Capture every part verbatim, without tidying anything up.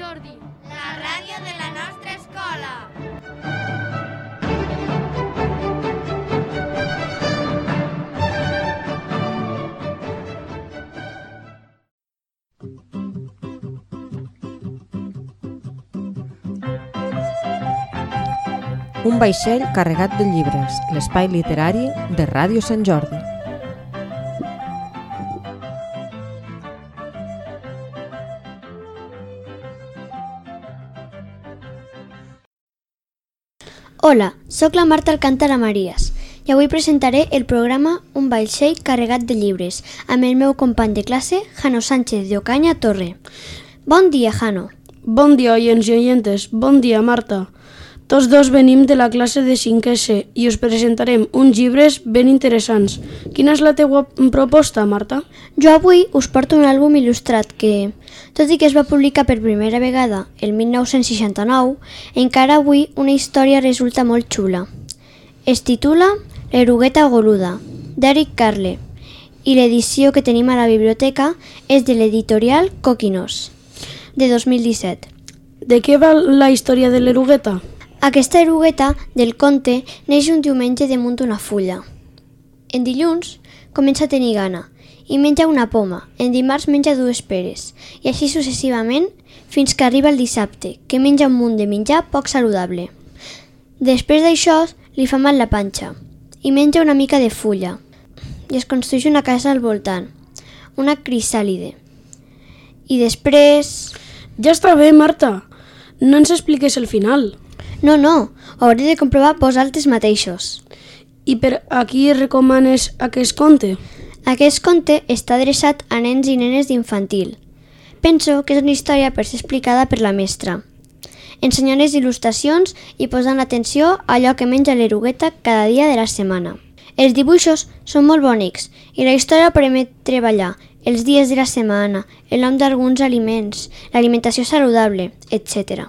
Jordi, la ràdio de la nostra escola. Un vaixell carregat de llibres, l'espai literari de Ràdio Sant Jordi. Hola, sóc la Marta Alcántara Marías i avui presentaré el programa Un vaixell carregat de llibres amb el meu company de classe, Jano Sánchez de Ocaña Torre. Bon dia, Jano. Bon dia, oients i oyentes. Bon dia, Marta. Tots dos venim de la classe de cinquè C i us presentarem uns llibres ben interessants. Quina és la teua proposta, Marta? Jo avui us porto un àlbum il·lustrat que, tot i que es va publicar per primera vegada el mil nou-cents seixanta-nou, encara avui una història resulta molt xula. Es titula L'erugueta goluda, d'Eric Carle, i l'edició que tenim a la biblioteca és de l'editorial Coquinos, de dos mil disset. De què va la història de l'erugueta? Aquesta erugueta del conte neix un diumenge damunt d'una fulla. En dilluns comença a tenir gana i menja una poma, en dimarts menja dues peres i així successivament fins que arriba el dissabte, que menja un munt de menjar poc saludable. Després d'això li fa mal la panxa i menja una mica de fulla i es construeix una casa al voltant, una crisàlide. I després... Ja està bé, Marta. No ens expliques el final. No, no, ho hauré de comprovar vosaltres mateixos. I per a qui recomanes aquest conte? Aquest conte està adreçat a nens i nenes d'infantil. Penso que és una història per ser explicada per la mestra, ensenyant les il·lustracions i posant atenció a allò que menja l'erugueta cada dia de la setmana. Els dibuixos són molt bonics i la història permet treballar els dies de la setmana, el nom d'alguns aliments, l'alimentació saludable, etcètera.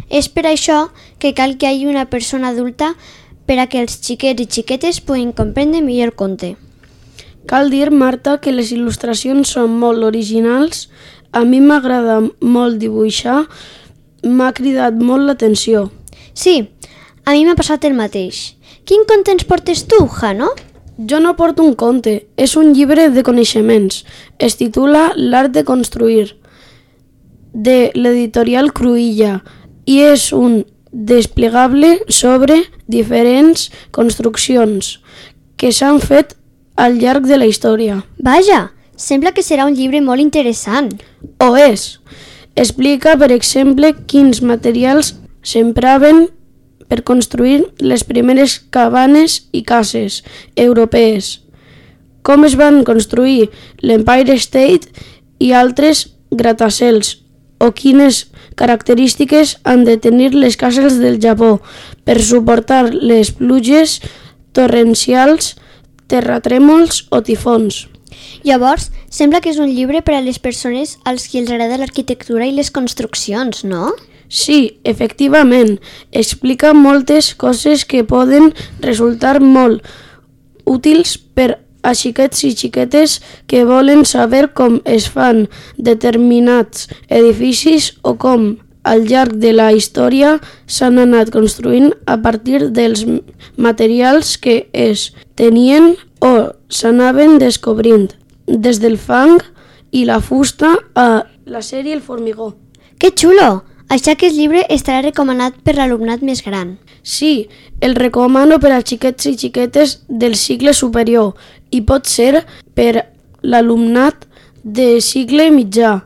És per això que cal que hi hagi una persona adulta per a que els xiquets i xiquetes puguin comprendre millor el conte. Cal dir, Marta, que les il·lustracions són molt originals. A mi m'agrada molt dibuixar, m'ha cridat molt l'atenció. Sí, a mi m'ha passat el mateix. Quin conte ens portes tu, Jano? Jo no porto un conte, és un llibre de coneixements. Es titula L'art de construir, de l'editorial Cruïlla, i és un desplegable sobre diferents construccions que s'han fet al llarg de la història. Vaja, sembla que serà un llibre molt interessant. Ho és. Explica, per exemple, quins materials s'empraven per construir les primeres cabanes i cases europees, com es van construir l'Empire State i altres gratacels, o quines característiques han de tenir les cases del Japó per suportar les pluges torrencials, terratrèmols o tifons. Llavors, sembla que és un llibre per a les persones als qui els agrada l'arquitectura i les construccions, no? Sí, efectivament, explica moltes coses que poden resultar molt útils per a xiquets i xiquetes que volen saber com es fan determinats edificis o com, al llarg de la història, s'han anat construint a partir dels materials que es tenien o s'anaven descobrint, des del fang i la fusta a l'acer i el formigó. Que xulo! Això aquest llibre estarà recomanat per l'alumnat més gran. Sí, el recomano per a xiquets i xiquetes del cicle superior i pot ser per l'alumnat de cicle mitjà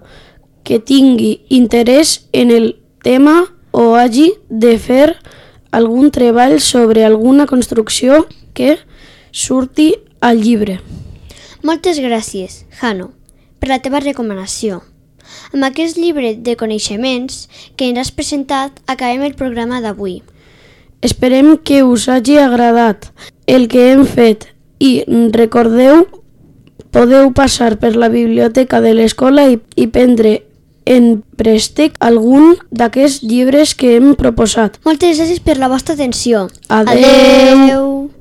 que tingui interès en el tema o hagi de fer algun treball sobre alguna construcció que surti al llibre. Moltes gràcies, Jano, per la teva recomanació. Amb aquest llibre de coneixements que ens has presentat, acabem el programa d'avui. Esperem que us hagi agradat el que hem fet i recordeu, podeu passar per la biblioteca de l'escola i, i prendre en préstec algun d'aquests llibres que hem proposat. Moltes gràcies per la vostra atenció. Adeu! Adeu.